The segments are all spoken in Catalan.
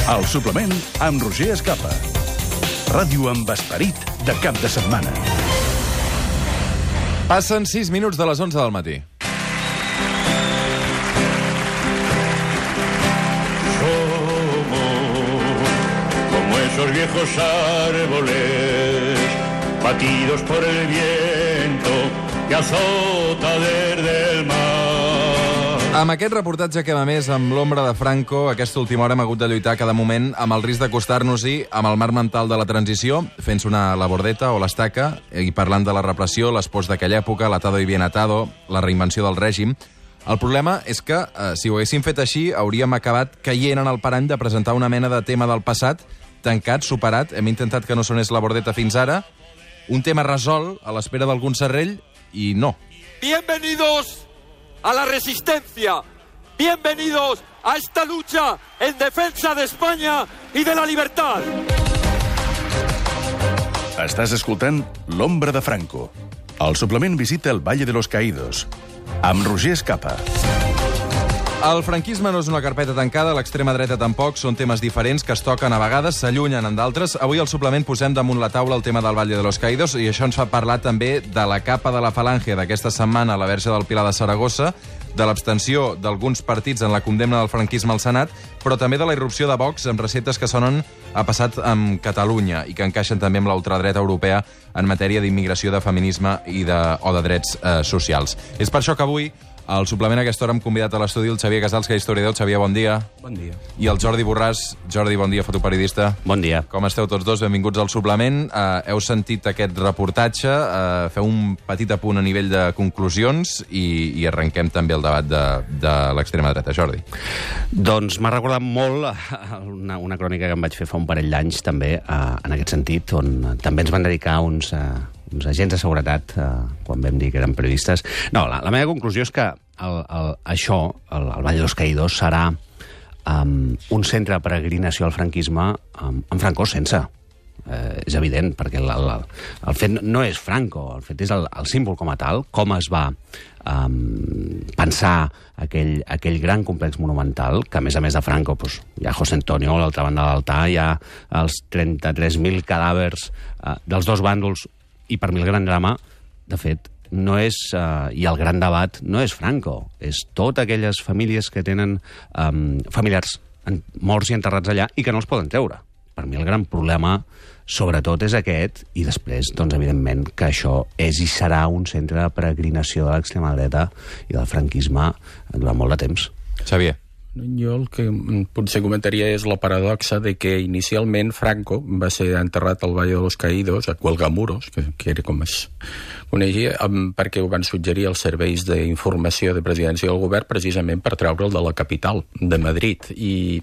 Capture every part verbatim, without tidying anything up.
El suplement amb Roger Escapa. Ràdio amb esperit de cap de setmana. Passen sis minuts de les onze del matí. Somos como esos viejos árboles batidos por el viento que azota desde el mar. Amb aquest reportatge que, a més, amb l'ombra de Franco, aquesta última hora hem hagut de lluitar cada moment amb el risc d'acostar-nos-hi amb el marc mental de la transició, fent sonar la bordeta o l'estaca, i parlant de la repressió, les pors d'aquella època, l'atado y bien atado, la reinvenció del règim. El problema és que, eh, si ho haguéssim fet així, hauríem acabat caient en el parany de presentar una mena de tema del passat, tancat, superat, hem intentat que no sonés la bordeta fins ara, un tema resolt a l'espera d'algun serrell, i no. Bienvenidos a la resistencia. Bienvenidos a esta lucha en defensa de España y de la libertad. Estàs escoltant L'ombra de Franco. El suplement visita el Valle de los Caídos, amb Roger Escapa. El franquisme no és una carpeta tancada, l'extrema dreta tampoc, són temes diferents que es toquen a vegades, s'allunyen en d'altres. Avui al suplement posem damunt la taula el tema del Valle de los Caídos i això ens fa parlar també de la capa de la falange d'aquesta setmana a la verge del Pilar de Saragossa, de l'abstenció d'alguns partits en la condemna del franquisme al Senat, però també de la irrupció de Vox amb receptes que sonen a passat amb Catalunya i que encaixen també amb la ultradreta europea en matèria d'immigració, de feminisme i de, o de drets eh, socials. És per això que avui, al suplement a aquesta hora, hem convidat a l'estudi el Xavier Casals, que és historiador. Xavier, bon dia. Bon dia. I el Jordi Borràs. Jordi, bon dia, fotoperiodista. Bon dia. Com esteu tots dos? Benvinguts al suplement. Uh, heu sentit aquest reportatge, uh, feu un petit apunt a nivell de conclusions i, i arrenquem també el debat de, de l'extrema dreta. Jordi. Doncs m'ha recordat molt una, una crònica que em vaig fer fa un parell d'anys també, uh, en aquest sentit, on també ens van dedicar uns... Uh, uns agents de seguretat, eh, quan vam dir que eren periodistes. No, la, la meva conclusió és que el, el, això, el, el Valle de los Caídos, serà um, un centre de peregrinació al franquisme um, amb Franco sense. Eh, és evident, perquè el, el, el fet no és Franco, el fet és el, el símbol com a tal, com es va um, pensar aquell, aquell gran complex monumental, que a més a més de Franco doncs, hi ha José Antonio, a l'altra banda de l'altar, hi ha els trenta-tres mil cadàvers uh, dels dos bàndols, i per mi el gran drama, de fet, no és, uh, i el gran debat no és Franco, és totes aquelles famílies que tenen um, familiars en, morts i enterrats allà i que no els poden treure. Per mi el gran problema, sobretot, és aquest, i després, doncs, evidentment, que això és i serà un centre de peregrinació de l'extrema dreta i del franquisme durant molt de temps. Xavier. Jo el que potser comentaria és la paradoxa de que inicialment Franco va ser enterrat al Valle de los Caídos, a Cuelgamuros, que, que era com es coneixia, perquè ho van suggerir els serveis d'informació de presidència del govern precisament per treure'l de la capital, de Madrid. I,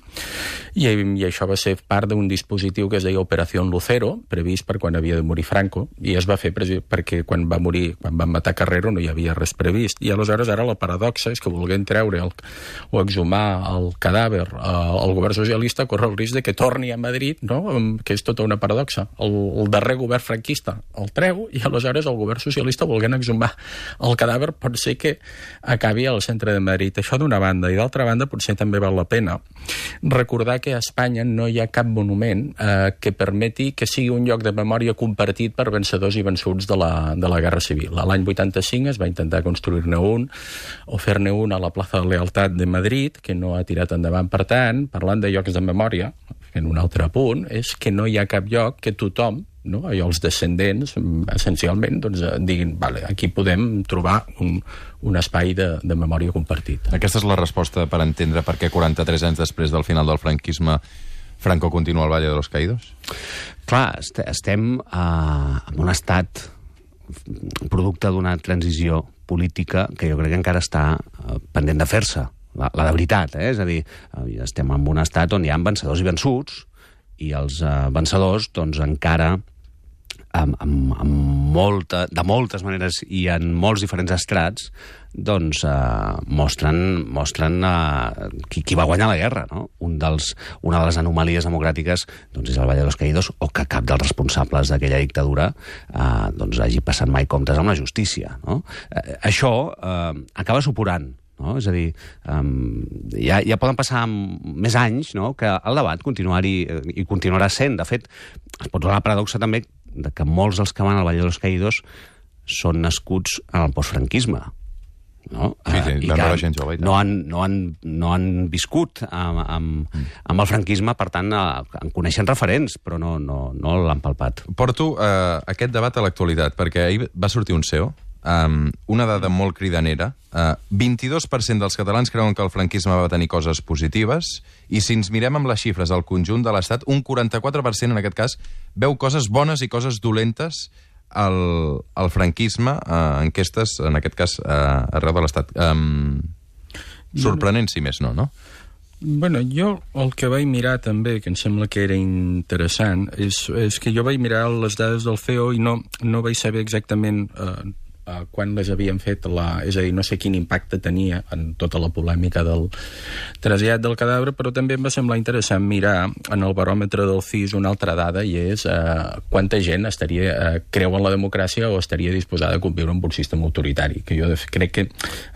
i, i això va ser part d'un dispositiu que es deia Operació Lucero, previst per quan havia de morir Franco, i es va fer perquè quan va morir, quan van matar Carrero, no hi havia res previst. I aleshores ara la paradoxa és que volguent treure el, o exhumar el cadàver al govern socialista corre el risc de que torni a Madrid, no? Que és tota una paradoxa. El, el darrer govern franquista el treu i aleshores el govern socialista volguent exhumar el cadàver pot ser que acabi al centre de Madrid. Això d'una banda. I d'altra banda potser també val la pena recordar que a Espanya no hi ha cap monument eh, que permeti que sigui un lloc de memòria compartit per vencedors i vençuts de la, de la Guerra Civil. L'any vuitanta-cinc es va intentar construir-ne un o fer-ne un a la plaça de Lealtat de Madrid, que no ha tirat endavant. Per tant, parlant de llocs de memòria, en un altre punt, és que no hi ha cap lloc que tothom, no, i els descendents, essencialment, doncs, diguin, vale, aquí podem trobar un, un espai de, de memòria compartit. Aquesta és la resposta per entendre per què quaranta-tres anys després del final del franquisme Franco continua al Valle de los Caídos? Clar, est estem uh, en un estat producte d'una transició política que jo crec que encara està uh, pendent de fer-se. La, la de veritat, eh? És a dir, estem en un estat on hi ha vencedors i vençuts, i els uh, vencedors, doncs, encara, amb, amb, amb molta, de moltes maneres i en molts diferents estrats, doncs uh, mostren, mostren uh, qui, qui va guanyar la guerra, no? Un dels, una de les anomalies democràtiques doncs, és el Valle de los Caídos, o que cap dels responsables d'aquella dictadura uh, doncs, hagi passat mai comptes amb la justícia, no? Uh, això uh, acaba suporant, no? És a dir, um, ja, ja poden passar més anys, no?, que el debat continuar-hi i continuarà sent. De fet, es pot donar la paradoxa també de que molts dels que van al Valle de los Caídos són nascuts en el postfranquisme. No? Sí, sí, uh, i van que gent jove, no, han, no, han, no han viscut amb, amb, mm. amb el franquisme, per tant, uh, en coneixen referents, però no, no, no l'han palpat. Porto uh, aquest debat a l'actualitat, perquè ahir va sortir un C E O, um, una dada molt cridanera. Uh, vint-i-dos per cent dels catalans creuen que el franquisme va tenir coses positives, i si ens mirem amb les xifres al conjunt de l'Estat, un quaranta-quatre per cent, en aquest cas, veu coses bones i coses dolentes el, el franquisme, uh, enquestes, en aquest cas, uh, arreu de l'Estat. Um, sorprenent, si més no, no? Bueno, jo el que vaig mirar també, que em sembla que era interessant, és, és que jo vaig mirar les dades del C E O i no, no vaig saber exactament eh, eh, quan les havien fet, la, és a dir, no sé quin impacte tenia en tota la polèmica del trasllat del cadàver, però també em va semblar interessant mirar en el baròmetre del C I S una altra dada, i és eh, quanta gent estaria, eh, creu en la democràcia o estaria disposada a conviure amb un sistema autoritari, que jo crec que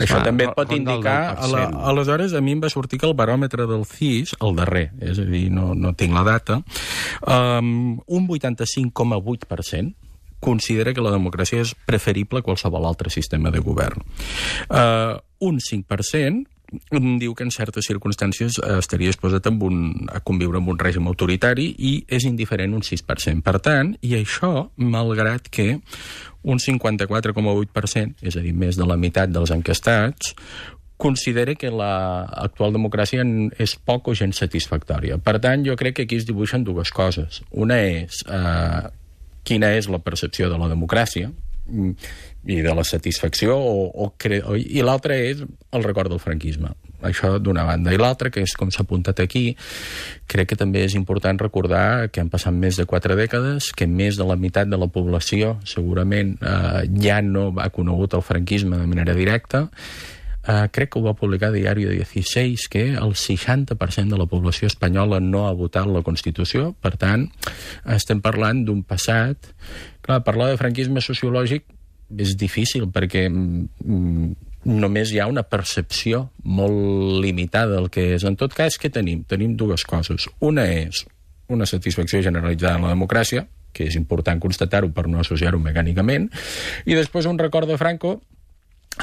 això ah, també et pot indicar. A la, aleshores, a mi em va sortir que el baròmetre del C I S, el darrer, és a dir, no, no tinc la data, um, un vuitanta-cinc coma vuit per cent considera que la democràcia és preferible a qualsevol altre sistema de govern. Uh, un cinc per cent diu que en certes circumstàncies estaria disposat amb un, a conviure amb un règim autoritari, i és indiferent un sis per cent. Per tant, i això, malgrat que un cinquanta-quatre coma vuit per cent, és a dir, més de la meitat dels enquestats, considera que l'actual democràcia és poc o gens satisfactòria. Per tant, jo crec que aquí es dibuixen dues coses. Una és eh, quina és la percepció de la democràcia i de la satisfacció, o, o cre... i l'altra és el record del franquisme. Això d'una banda. I l'altra, que és com s'ha apuntat aquí, crec que també és important recordar que han passat més de quatre dècades, que més de la meitat de la població segurament eh, ja no ha conegut el franquisme de manera directa. Uh, crec que ho va publicar Diario dieciséis, que el seixanta per cent de la població espanyola no ha votat la Constitució. Per tant, estem parlant d'un passat. Clar, parlar de franquisme sociològic és difícil, perquè mm, només hi ha una percepció molt limitada del que és. En tot cas, què tenim? Tenim dues coses. Una és una satisfacció generalitzada en la democràcia, que és important constatar-ho per no associar-ho mecànicament, i després un record de Franco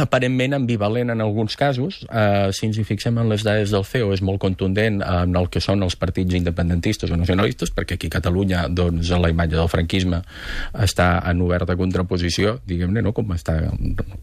aparentment ambivalent en alguns casos. Uh, si ens hi fixem en les dades del C E O, és molt contundent en el que són els partits independentistes o nacionalistes, perquè aquí a Catalunya doncs, la imatge del franquisme està en oberta contraposició, diguem-ne, no? com, està,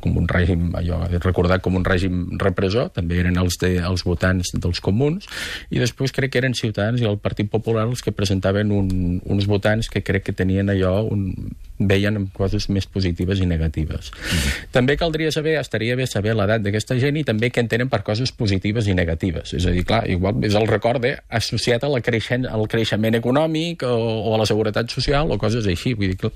com un règim, allò recordat com un règim repressor. També eren els, de, els votants dels comuns, i després crec que eren Ciutadans i el Partit Popular els que presentaven un, uns votants que crec que tenien allò, un, veien coses més positives i negatives. Mm-hmm. També caldria saber, estaria bé saber l'edat d'aquesta gent, i també què entenen per coses positives i negatives. És a dir, clar, igual és el record associat a la creixent, al creixement econòmic o, o a la seguretat social o coses així. Vull dir que...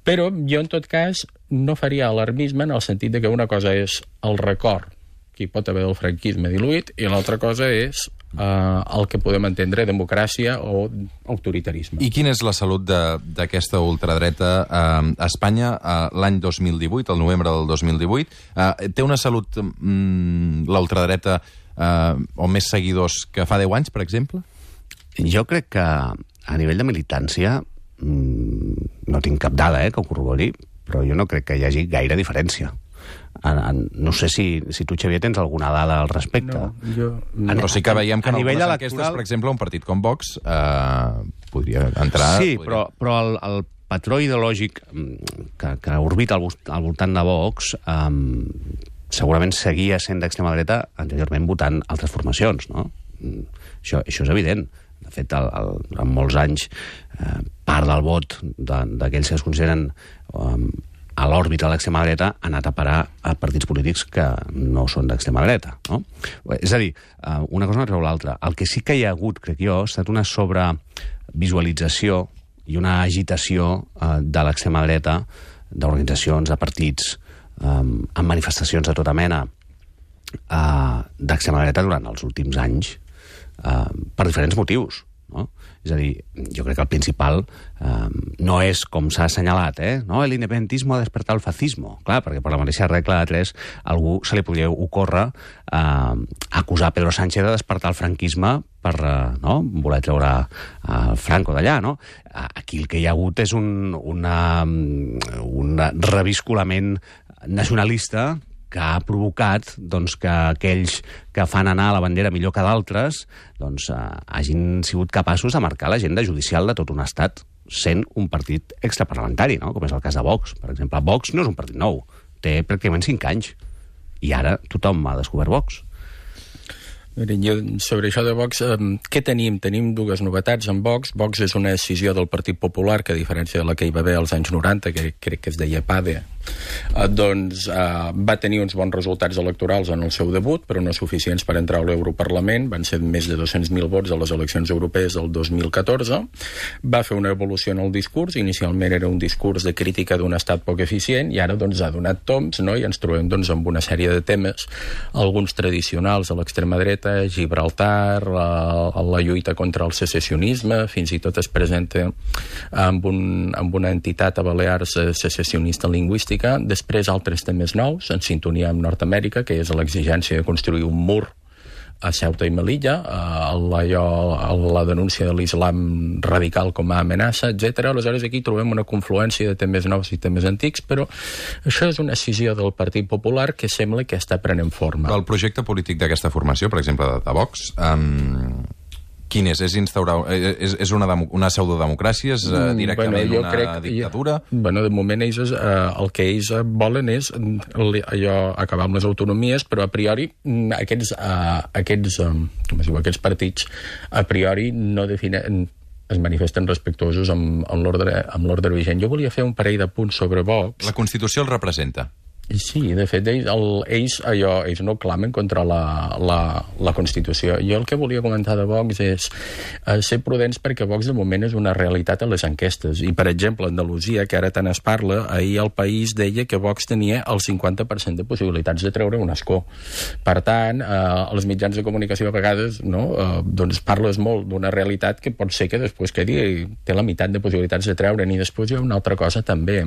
Però jo, en tot cas, no faria alarmisme en el sentit de que una cosa és el record que hi pot haver del franquisme diluït, i l'altra cosa és eh, el que podem entendre democràcia o autoritarisme. I quina és la salut d'aquesta ultradreta eh, a Espanya eh, l'any dos mil divuit, el novembre del dos mil divuit? Eh, té una salut mm, l'ultradreta eh, o més seguidors que fa deu anys, per exemple? Jo crec que a nivell de militància mm, no tinc cap dada eh, que ho corrobori, però jo no crec que hi hagi gaire diferència. En, en, no sé si, si tu, Xavier, tens alguna dada al respecte. No, jo... En, però sí que veiem que en algunes electoral... enquestes, per exemple, un partit com Vox eh, podria entrar... Sí, podria... però, però el, el patró ideològic que, que orbita al, al voltant de Vox eh, segurament seguia sent d'extrema dreta anteriorment votant altres formacions, no? Això, això és evident. De fet, el, el, en molts anys, eh, part del vot d'aquells que es consideren... Eh, a l'òrbita de l'extrema dreta ha anat a parar a partits polítics que no són d'extrema dreta, no? És a dir, una cosa no treu l'altra. El que sí que hi ha hagut, crec jo, ha estat una sobrevisualització i una agitació de l'extrema dreta, d'organitzacions, de partits, amb manifestacions de tota mena d'extrema dreta durant els últims anys, per diferents motius. no? És a dir, jo crec que el principal eh, no és, com s'ha assenyalat, eh? No, l'independentismo ha despertat el fascismo. Clar, perquè per la mateixa regla de tres algú se li podria ocórrer eh, acusar Pedro Sánchez de despertar el franquisme per eh, no? voler treure el Franco d'allà, no? Aquí el que hi ha hagut és un, una, un reviscolament nacionalista que ha provocat doncs, que aquells que fan anar la bandera millor que d'altres doncs, eh, hagin sigut capaços de marcar l'agenda judicial de tot un estat sent un partit extraparlamentari, no? Com és el cas de Vox. Per exemple, Vox no és un partit nou, té pràcticament cinc anys. I ara tothom ha descobert Vox. Miren, jo, sobre això de Vox, eh, què tenim? Tenim dues novetats en Vox. Vox és una decisió del Partit Popular, que a diferència de la que hi va haver als anys noranta, que crec que es deia PADE, eh, doncs eh, va tenir uns bons resultats electorals en el seu debut, però no suficients per entrar a l'Europarlament. Van ser més de dos-cents mil vots a les eleccions europees del dos mil catorze. Va fer una evolució en el discurs. Inicialment era un discurs de crítica d'un estat poc eficient i ara doncs, ha donat toms, no? I ens trobem doncs, amb una sèrie de temes, alguns tradicionals a l'extrema dreta, Gibraltar, la, la lluita contra el secessionisme, fins i tot es presenta amb, un, amb una entitat a Balears secessionista lingüística. Després altres temes nous, en sintonia amb Nord-Amèrica, que és l'exigència de construir un mur a Ceuta i Melilla, la, la denúncia de l'islam radical com a amenaça, etcètera. Aleshores aquí trobem una confluència de temes nous i temes antics, però això és una decisió del Partit Popular que sembla que està prenent forma. El projecte polític d'aquesta formació, per exemple, de, de Vox, um, quin és? És, instaurar, és, és una, demo, una pseudodemocràcia? És uh, directament bueno, una crec, dictadura? Ja, bueno, de moment ells, eh, el que ells volen és allò, acabar amb les autonomies, però a priori aquests, eh, aquests, eh, com es diu, aquests partits a priori no definen, es manifesten respectuosos amb, amb l'ordre vigent. Jo volia fer un parell de punts sobre Vox. La Constitució el representa. Sí, de fet, ells, el, ells, allò, ells no clamen contra la, la, la Constitució. Jo el que volia comentar de Vox és eh, ser prudents perquè Vox de moment és una realitat a les enquestes. I, per exemple, Andalusia, que ara tant es parla, ahir el País deia que Vox tenia el cinquanta per cent de possibilitats de treure un escó. Per tant, eh, els mitjans de comunicació a vegades no, eh, doncs parles molt d'una realitat que pot ser que després quedi té la meitat de possibilitats de treure'n. I després hi ha una altra cosa també,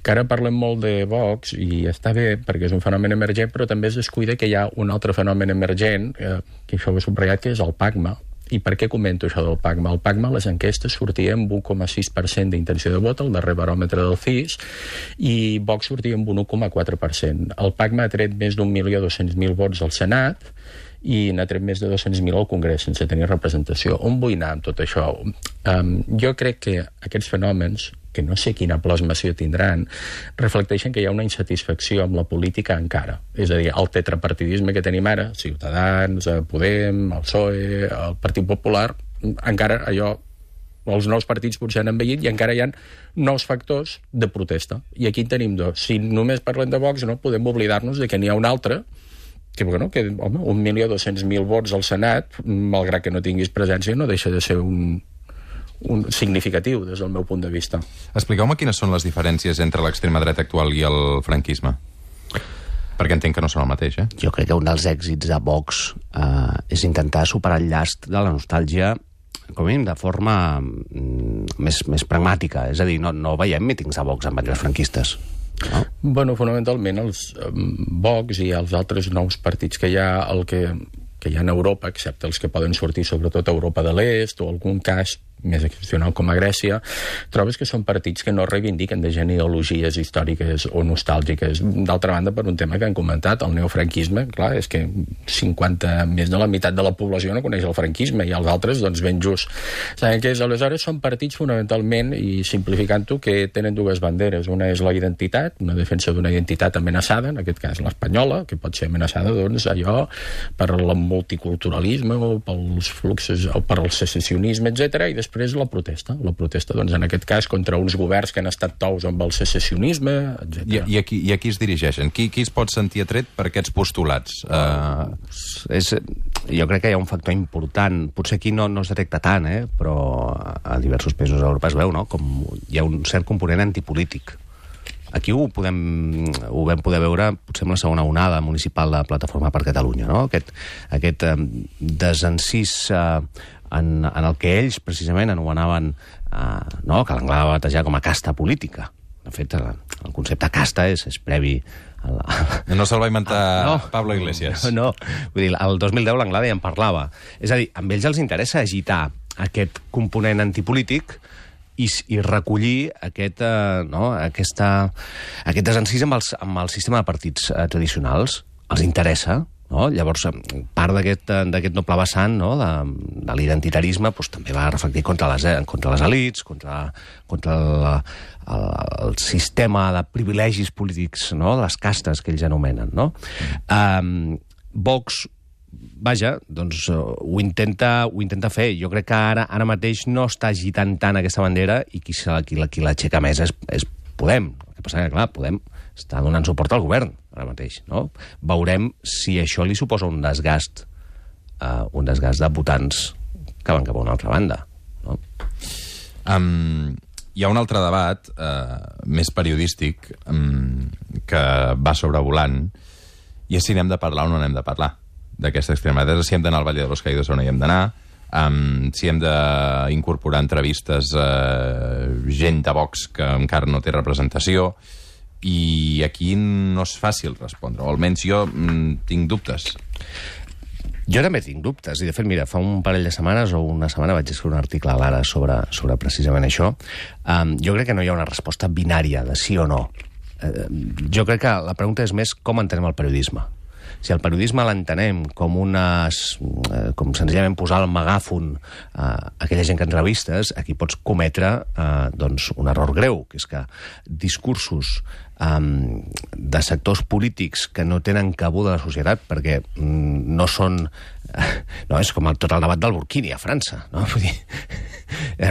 que ara parlem molt de Vox i està bé perquè és un fenomen emergent, però també es descuida que hi ha un altre fenomen emergent, eh, que això ho he subratllat, que és el PACMA. I per què comento això del PACMA? El PACMA a les enquestes sortia amb un coma sis per cent d'intenció de vot, el darrer baròmetre del C I S, i Vox sortia amb un un coma quatre per cent. El PACMA ha tret més d'un milió dos-cents mil vots al Senat i n'ha tret més de dos-cents mil al Congrés sense tenir representació. On vull anar amb tot això? Um, jo crec que aquests fenòmens, que no sé quina plasmació tindran, reflecteixen que hi ha una insatisfacció amb la política encara. És a dir, el tetrapartidisme que tenim ara, Ciutadans, Podem, el P S O E, el Partit Popular, encara allò, els nous partits potser han envellit i encara hi ha nous factors de protesta. I aquí en tenim dos. Si només parlem de Vox, no podem oblidar-nos de que n'hi ha un altre que, bueno, que home, un milió dos-cents mil vots al Senat, malgrat que no tinguis presència, no deixa de ser un... un significatiu des del meu punt de vista. Expliqueu-me quines són les diferències entre l'extrema dreta actual i el franquisme. Perquè entenc que no són el mateix, eh? Jo crec que un dels èxits de Vox eh, és intentar superar el llast de la nostàlgia, com a mínim de forma mm, més, més pragmàtica. És a dir, no, no veiem mítings de Vox amb banderes franquistes. No? Bueno, fonamentalment els um, Vox i els altres nous partits que hi ha, el que, que hi ha en Europa, excepte els que poden sortir sobretot a Europa de l'Est o algun cas més excepcional com a Grècia, trobes que són partits que no reivindiquen de genealogies històriques o nostàlgiques. D'altra banda, per un tema que han comentat, el neofranquisme, clar, és que cinquanta, més de la meitat de la població no coneix el franquisme i els altres, doncs, ben just. Saben que és, aleshores són partits fonamentalment, i simplificant-ho, que tenen dues banderes. Una és la identitat, una defensa d'una identitat amenaçada, en aquest cas l'espanyola, que pot ser amenaçada, doncs, allò per el multiculturalisme o pels fluxos, o per el secessionisme, etcètera, i després Després la protesta. La protesta, doncs, en aquest cas, contra uns governs que han estat tous amb el secessionisme, etcètera. I, i, aquí, I a qui es dirigeixen? Qui, qui es pot sentir atret per aquests postulats? Uh... És, jo crec que hi ha un factor important. Potser aquí no, no es detecta tant, eh? Però a diversos països d'Europa es veu, no? Com hi ha un cert component antipolític. Aquí ho, podem, ho vam poder veure potser amb la segona onada municipal de Plataforma per Catalunya, no? Aquest, aquest eh, desencís eh, en, en el que ells precisament anomenaven eh, no, que l'Anglada va batejar com a casta política. De fet, el, el concepte casta és, és previ a la... No se'l va inventar ah, no. Pablo Iglesias. No, no, vull dir, el dos mil deu l'Anglada ja en parlava. És a dir, a ells els interessa agitar aquest component antipolític i, i recollir aquest, eh, no, aquesta, aquest desencís amb, els, amb el sistema de partits eh, tradicionals. Els interessa, no? Llavors, part d'aquest d'aquest noble vessant, no? de, de l'identitarisme, doncs, també va reflectir contra les, contra les elites, contra, contra el, el, el sistema de privilegis polítics, no? Les castes que ells anomenen. No? Um, Vox, vaja, doncs ho intenta, ho intenta fer. Jo crec que ara ara mateix no està agitant tant aquesta bandera i qui, qui, qui l'aixeca més és, és Podem. El que passa que, clar, Podem està donant suport al govern ara mateix, no? Veurem si això li suposa un desgast, uh, un desgast de votants que van cap a una altra banda, no? Um, hi ha un altre debat uh, més periodístic um, que va sobrevolant, i és si n'hem de parlar o no n'hem de parlar d'aquesta extrema dreta, si hem d'anar al Valle de los Caídos o no hi hem d'anar, um, si hem d'incorporar entrevistes a uh, gent de Vox que encara no té representació, i aquí no és fàcil respondre, o almenys jo mm, tinc dubtes. Jo també tinc dubtes, i de fet, mira, fa un parell de setmanes o una setmana vaig escriure un article a l'Ara sobre, sobre precisament això. Um, jo crec que no hi ha una resposta binària de sí o no. Uh, jo crec que la pregunta és més com entenem el periodisme. Si el periodisme l'entenem com unes, eh, com senzillament posar el megàfon a eh, aquella gent que entrevistes, aquí pots cometre eh, doncs un error greu, que és que discursos eh, de sectors polítics que no tenen cabuda a la societat, perquè mm, no són... Eh, no, és com el, tot el debat del burkini a França, no? Vull dir,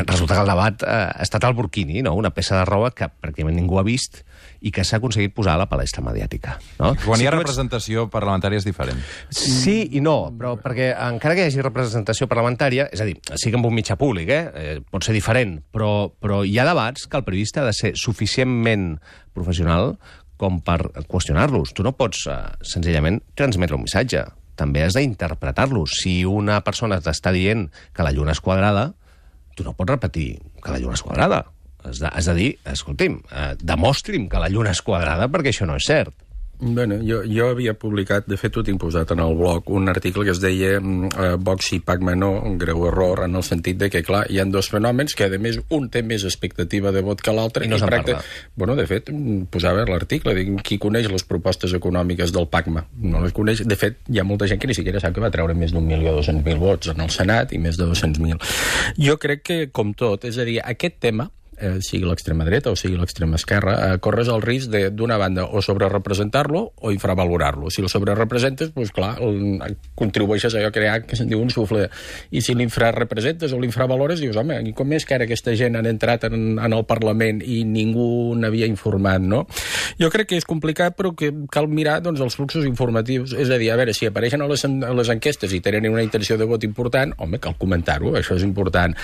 resulta que el debat eh, ha estat el burkini, no? Una peça de roba que pràcticament ningú ha vist i que s'ha aconseguit posar a la palestra mediàtica. No? Quan si hi ha ets... representació parlamentària és diferent. Sí i no, però perquè encara que hi hagi representació parlamentària, és a dir, sí que amb un mitjà públic, eh? eh pot ser diferent, però, però hi ha debats que el periodista ha de ser suficientment professional com per qüestionar-los. Tu no pots eh, senzillament transmetre un missatge, també has d'interpretar-los. Si una persona t'està dient que la lluna és quadrada, tu no pots repetir que la lluna és quadrada. Has de, has de dir, escolti'm, eh, demostri'm que la lluna és quadrada perquè això no és cert. Bueno, jo, jo havia publicat, de fet ho tinc posat en el blog, un article que es deia eh, Vox i Pacma no, un greu error, en el sentit de que, clar, hi ha dos fenòmens que, a més, un té més expectativa de vot que l'altre. I no se'n practic... parla. Bueno, de fet, posava l'article, qui coneix les propostes econòmiques del Pacma? No les coneix. De fet, hi ha molta gent que ni siquiera sap que va treure més d'un milió dos-cents mil vots en el Senat i més de dos-cents mil. Jo crec que, com tot, és a dir, aquest tema, Eh, sigui l'extrema dreta o sigui l'extrema esquerra, eh, corres el risc d'una banda o sobrerepresentar-lo o infravalorar-lo. Si el sobrerepresentes, doncs clar, el, contribueixes a crear que se'n diu un sufle. I si l'infrarepresentes o l'infravalores, dius, home, i com és que ara aquesta gent han entrat en, en el Parlament i ningú n'havia informat, no? Jo crec que és complicat, però que cal mirar doncs, els fluxos informatius. És a dir, a veure, si apareixen a les, a les enquestes i tenen una intenció de vot important, home, cal comentar-ho, això és important.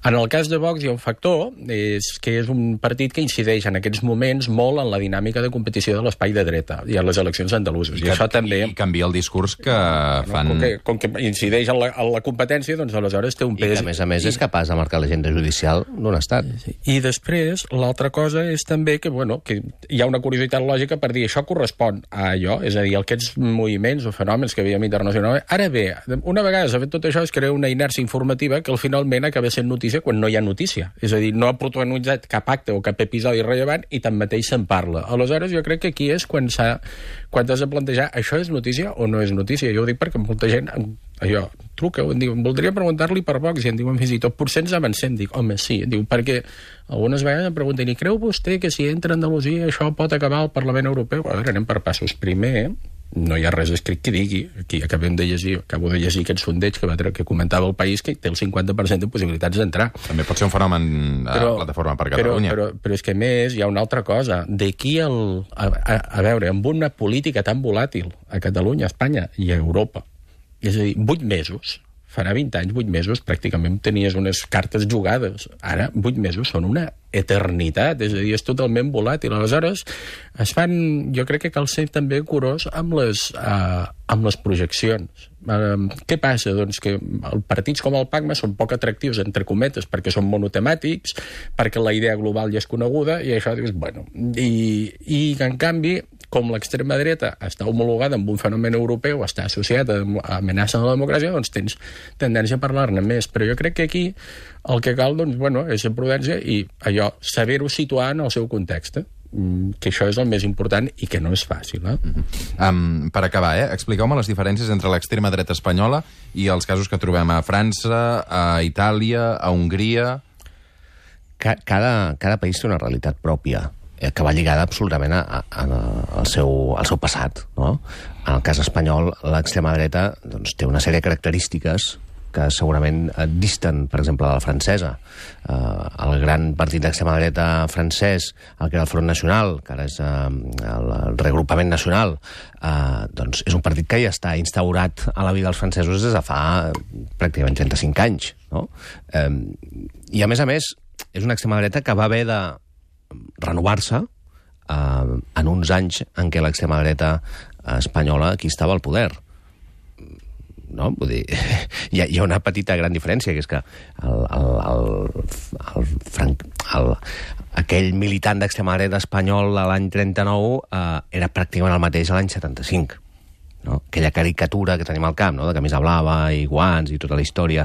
En el cas de Vox hi ha un factor, és que és un partit que incideix en aquests moments molt en la dinàmica de competició de l'espai de dreta i en les eleccions andaluses. I, I això també... I canvia el discurs que bueno, fan... Com que, com que incideix en la, en la competència, doncs aleshores té un pes... I que, a més a més, I... és capaç de marcar l'agenda judicial d'un estat. Sí. I després, l'altra cosa és també que, bueno, que hi ha una curiositat lògica per dir això correspon a allò, és a dir, aquests moviments o fenòmens que veiem internacionalment. Ara bé, una vegada s'ha fet tot això, es crea una inèrcia informativa que al finalment acaba sent notícia quan no hi ha notícia. És a dir, no ha protagonitzat cap acte o cap episodi rellevant i tanmateix se'n parla. Aleshores, jo crec que aquí és quan s'ha quan has de plantejar això és notícia o no és notícia. Jo ho dic perquè molta gent allò, truca, em diu, voldria preguntar-li per Vox i em diuen fins i tot, potser ens avancem. Dic, home, sí, diu, perquè algunes vegades em pregunten, i creu vostè que si entra a Andalusia això pot acabar al Parlament Europeu? A veure, anem per passos. Primer, eh? No hi ha res escrit que digui, aquí acabem de llegir, acabo de llegir aquest sondeig que, va, que comentava el País, que té el cinquanta per cent de possibilitats d'entrar. També pot ser un fenomen a però, Plataforma per Catalunya. Però, però, però és que, més, hi ha una altra cosa. D'aquí el... A, a, a veure, amb una política tan volàtil a Catalunya, a Espanya i a Europa, és a dir, vuit mesos farà vint anys, vuit mesos, pràcticament tenies unes cartes jugades. Ara, vuit mesos són una eternitat, és a dir, és totalment volàtil. Aleshores, es fan, jo crec que cal ser també curós amb les, uh, amb les projeccions. Uh, què passa? Doncs que els partits com el PACMA són poc atractius, entre cometes, perquè són monotemàtics, perquè la idea global ja és coneguda, i això dius, bueno... I, i en canvi, com l'extrema dreta està homologada amb un fenomen europeu, està associada a amenaça de la democràcia, doncs tens tendència a parlar-ne més. Però jo crec que aquí el que cal, doncs, bueno, és ser prudència i allò, saber-ho situar en el seu context, que això és el més important i que no és fàcil. Eh? Mm-hmm. um, per acabar, eh? expliqueu-me les diferències entre l'extrema dreta espanyola i els casos que trobem a França, a Itàlia, a Hongria... Cada, cada país té una realitat pròpia que va lligada absolutament a, a, a, al, seu, al seu passat. No? En el cas espanyol, l'extrema dreta doncs, té una sèrie de característiques que segurament disten, per exemple, de la francesa. Uh, el gran partit d'extrema dreta francès, el que era el Front Nacional, que ara és uh, el, el reagrupament nacional, uh, doncs és un partit que ja està instaurat a la vida dels francesos des de fa pràcticament trenta-cinc anys. No? Um, I, a més a més, és una extrema dreta que va haver de renovar-se eh, en uns anys en què l'extrema dreta espanyola aquí estava al poder. No? Vull dir, hi ha, hi ha una petita gran diferència, que és que el, el, el, el, Frank, el, aquell militant d'extrema dreta espanyol de l'any trenta-nou eh, era pràcticament el mateix a l'any setanta-cinc. No? Aquella caricatura que tenim al camp, no? De camisa blava i guants i tota la història.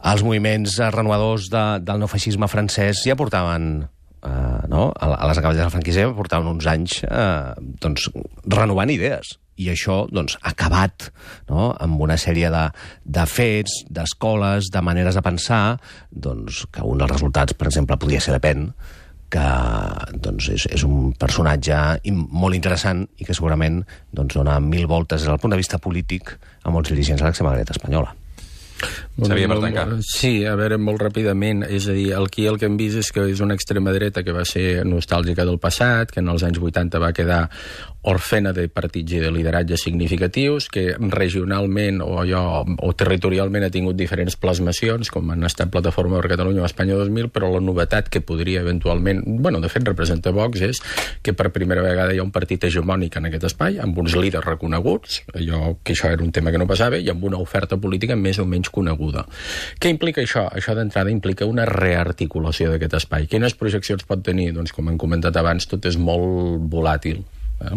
Els moviments renovadors de, del neofeixisme francès ja portaven, eh, no? a, a les acaballes del franquisme, portaven uns anys eh, doncs, renovant idees. I això doncs, ha acabat, no? Amb una sèrie de, de fets, d'escoles, de maneres de pensar, doncs, que un dels resultats, per exemple, podria ser Le Pen, que doncs, és, és un personatge molt interessant i que segurament doncs, dona mil voltes des del punt de vista polític a molts dirigents de l'extrema dreta espanyola. Xavier, per tancar. Sí, a veure, molt ràpidament. És a dir, aquí el que hem vist és que és una extrema dreta que va ser nostàlgica del passat, que en els anys vuitanta va quedar orfena de partits i de lideratges significatius, que regionalment o, allò, o territorialment ha tingut diferents plasmacions, com han estat Plataforma per Catalunya o Espanya dos mil, però la novetat que podria eventualment, bueno, de fet representa Vox, és que per primera vegada hi ha un partit hegemònic en aquest espai, amb uns líders reconeguts, allò, que això era un tema que no passava, i amb una oferta política més o menys coneguda. Què implica això? Això d'entrada implica una rearticulació d'aquest espai. Quines projeccions pot tenir? Doncs, com hem comentat abans, tot és molt volàtil. Eh?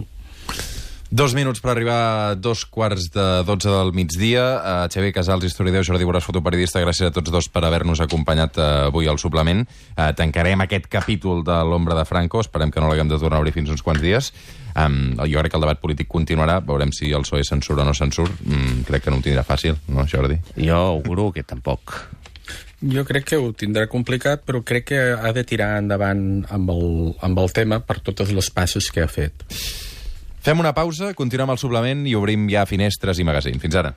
Dos minuts per arribar a dos quarts de dotze del migdia. Uh, Xavier Casals, historiador, Jordi Borràs, fotoperiodista, gràcies a tots dos per haver-nos acompanyat uh, avui al suplement. Uh, tancarem aquest capítol de l'ombra de Franco, esperem que no l'haguem de tornar a obrir fins uns quants dies. Um, jo crec que el debat polític continuarà, veurem si el P S O E censura o no censura. Mm, crec que no ho tindrà fàcil, no, Jordi? Jo auguro que tampoc. Jo crec que ho tindrà complicat, però crec que ha de tirar endavant amb el, amb el tema per totes les passes que ha fet. Fem una pausa, continuem el suplement i obrim ja finestres i magazín. Fins ara.